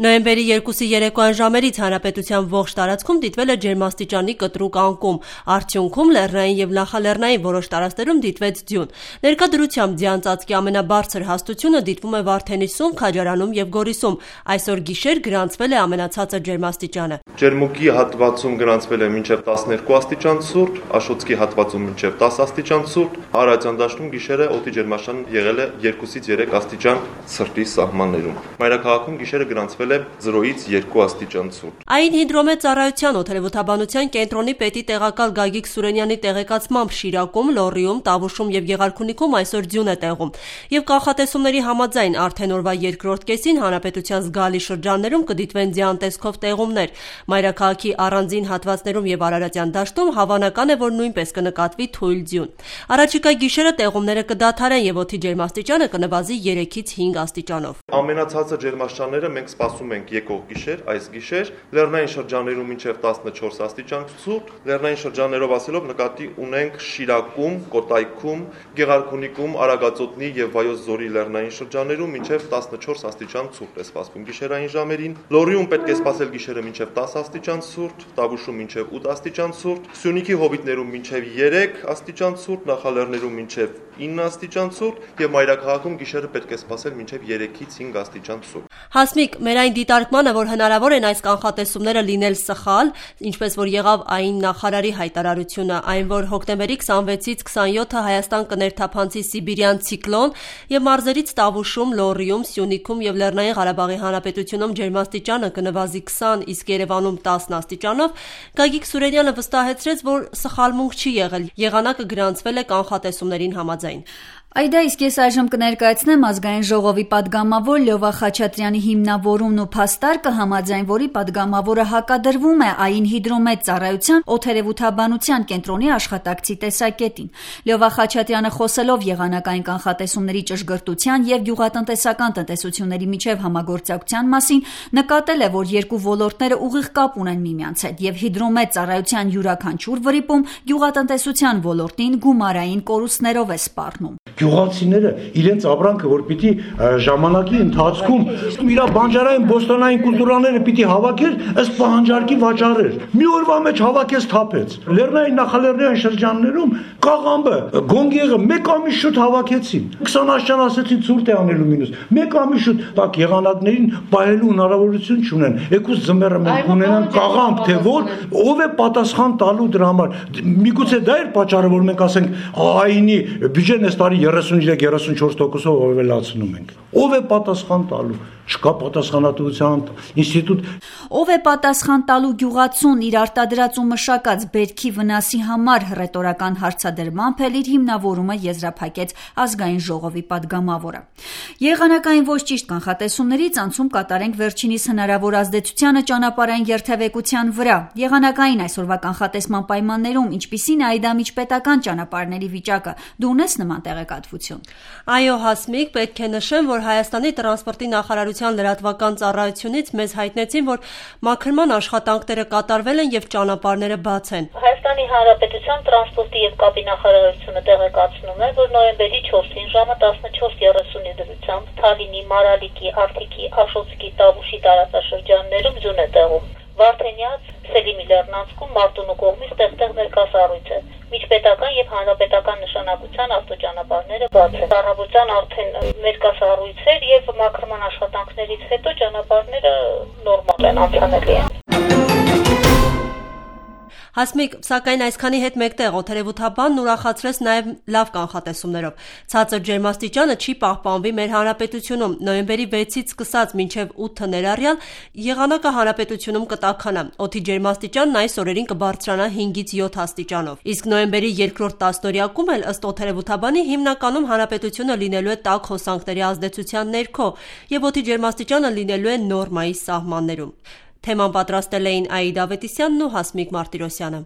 Նոյեմբերի 2-ի երեկոյան ժամերից հանրապետության ողջ տարածքում դիտվել է ջերմաստիճանի կտրուկ անկում, արդյունքում լեռնային եւ նախալեռնային որոշ տարածքներում դիտվեց ձյուն։ Ներկա դրությամբ ձյան ծածկի ամենաբարձր հաստությունը դիտվում է Վարդենիսում, Քաջարանում եւ Գորիսում։ Այսօր գիշեր գրանցվել է ամենացածր ջերմաստիճանը։ Ջերմուկի հատվածում գրանցվել է մինչև 12 աստիճան ցուրտ, Աշոտսկի հատվածում մինչև 10 աստիճան ցուրտ, Արարատյան դաշտում գիշերը օդի ջերմաստիճան եղել է 2-ից 3 աստիճան ցրտի սահմաններում։ Մայրաքաղաքում գիշերը գրանցվել է 0-ից 2 աստիճան ցուրտ։ Այն հիդրոմետ ծառայության օդերևութաբանության կենտրոնի պետի տեղակալ Գագիկ Սուրենյանի տեղեկացմամբ Շիրակում, Լոռիում, Տավուշում եւ Եղարքունիքում այսօր ձյուն է տեղում։ Եվ կանխատեսումների համաձայն արդեն օրվա երկրորդ կեսին հանրապետության զգալի շրջաններում կդիտվեն ձյան տեսքով տեղումներ։ Մայրաքաղաքի առանձին հատվածներում եւ Արարատյան դաշտում հավանական է, որ նույնպես կնկատվի թույլ ձյուն։ Առաջիկա գիշերը տեղումները կդադարեն եւ օդի ջերմաստիճանը կնվազի 3-ից 5 աստիճանով։ Ամենացածր ջերմաստիճանները մենք սպասում ենք եկող գիշեր, այս գիշեր, լեռնային շրջաններում մինչև 14 աստիճան ցուրտ, լեռնային շրջաններով ասելով նկատի ունենք Շիրակում, Կոտայքում, Գեղարքունիքում, Արագածոտնի եւ Վայոց ձորի լեռնային շրջաններում մինչև 14 աստիճան ցուրտ է սպասվում գիշերային ժամերին։ Լոռիում պետք է սպասել գիշերը մինչև 10 աստիճան ցուրտ, Տավուշում մինչև 8 աստիճան ցուրտ, Սյունիքի հովիտներում մինչև 3 աստիճան ցուրտ, Նախալեռներում մինչև 9 աստիճան ցուրտ եւ Մայրաքաղաքում գիշերը պետք է սպասել մինչև 3-ից 5 աստիճան ցուրտ։ Հասմիկ, մեր այն դիտարկմանը, որ հնարավոր են այս կանխատեսումները լինել սխալ, ինչպես որ եղավ այն նախարարի հայտարարությունը, այն որ հոկտեմբերի 26-ից 27-ը Հայաստան կներթափանցի Սիբիրյան ցիկլոն եւ մարզերից Տավուշում, Լոռիում, Սյունիքում եւ Լեռնային Ղարաբաղի Հանրապետությունում ջերմաստիճանը կնվազի 20, իսկ Երևանում 10 աստիճանով, Գագիկ Սուրենյանը վստահեցրեց, որ սխալմունք չի եղել, եղանակը գրանցվել է կանխատեսումներին համաձայն։ Այդա իսկ ես այժմ կներկայացնեմ ազգային ժողովի падգամավոր Լյովա Խաչատրյանի հիմնավորումն ու փաստարկը, համաձայն որի падգամավորը հակադրվում է ԱԻՆ հիդրոմետ ծառայության օդերևութաբանության կենտրոնի աշխատակցի տեսակետին։ Լյովա Խաչատրյանը խոսելով եղանակային կանխատեսումների ճշգրտության եւ գյուղատնտեսական տնտեսությունների միջև համագործակցության մասին, նկատել է, որ երկու ոլորտները ուղիղ կապ ունեն միմյանց հետ եւ հիդրոմետ ծառայության յուրաքանչյուր վրիպում գյուղատնտեսության ոլորտին գումարային կորուստներով է սպառնում։ Գյուղացիները իրենց ապրանքը, որ պիտի ժամանակի ընթացքում իր բանջարային բոստանային կուլտուրաները պիտի հավաքեր, ըստ պահանջարկի վաճառեր։ Մի օրվա մեջ հավաքեց թափեց։ Լեռնային նախալեռնային շրջաններում կաղամբը, գոնգեղը մեկ ամիս շուտ հավաքեցին։ 20 աշճան ասեցին ցուրտ է անելու մինուս։ Մեկ ամիս շուտ տակ եղանակներին պահելու հնարավորություն չունեն։ Եկուս ձմեռը մենք ունենանք կաղամբ, թե որ ով է պատասխան տալու դրա համար։ Միգուցե դա էր պատճառը, որ մենք ասենք ԱԻՆ-ի բյուջեն այս տարի 33-34%-ով ավելացնում ենք։ Ով է պատասխան տալու։ Չկա պատասխանատվության ինստիտուտ։ Ով է պատասխան տալու գյուղացուն իր արտադրած ու մշակած բերքի վնասի համար ռետորական հարցադրմամբ էլ իր հիմնավորումը եզրափակեց ազգային ժողովի падգամավորը։ Եղանակային ոչ ճիշտ կանխատեսումներից անցում կատարենք վերջինիս հնարավոր ազդեցությանը ճանապարհային երթևեկության վրա։ Եղանակային այսօրվա կանխատեսման պայմաններում ինչպիսին է Այդա միջպետական ճանապարհների վիճակը։ Դու ունես նման տեղեկատվություն։ Այո, Հասմիկ, պետք է նշեմ, որ Հայաստանի տրանսպորտի նախարարության լրատվական ծառայությունից մեզ հայտնեցին, որ մաքրման աշխատանքները կատարվել են եւ ճանապարհները բաց են։ Հայաստանի Հանրապետության տրանսպորտի եւ կապի նախարարությունը տեղեկացնում է, որ նոյեմբերի 4-ին ժամը 14:30-ի դրությամբ Թալինի, Մարալիկի, Արթիկի, Աշոտսկի, Տավուշի տարածաշրջաններում ձյուն է տեղում։ Վարդենյաց, Սելիմի լեռնանցքում Մարտունու կողմից տեղ-տեղ ներկասառույց է։ Միջպետական եւ հանրապետական նշանակության ավտոճանապարհները բաց են։ Առավոտյան արդեն ներկասառույցեր եւ մաքրման աշխատանքներից հետո ճանապարհները նորմալ են, անցանելի են։ Հասմիկ, սակայն այսքանի հետ մեկտեղ օդերևութաբանն ուրախացրեց նաև լավ կանխատեսումներով։ Ցածր ջերմաստիճանը չի պահպանվի մեր հանրապետությունում։ Նոյեմբերի 6-ից սկսած մինչև 8-ը ներառյալ եղանակը հանրապետությունում կտաքանա։ Օդի ջերմաստիճանն այս օրերին կբարձրանա 5-ից 7 աստիճանով։ Իսկ նոյեմբերի երկրորդ տասնօրյակում էլ ըստ օդերևութաբանի հիմնականում հանրապետությունը լինելու է տաք հոսանքների ազդեցության ներքո եւ օդի ջերմաստիճանը լինելու է նորմայի սահմաններում։ Թեման պատրաստել էին Աիդա Ավետիսյանն ու Հասմիկ Մարտիրոսյանը։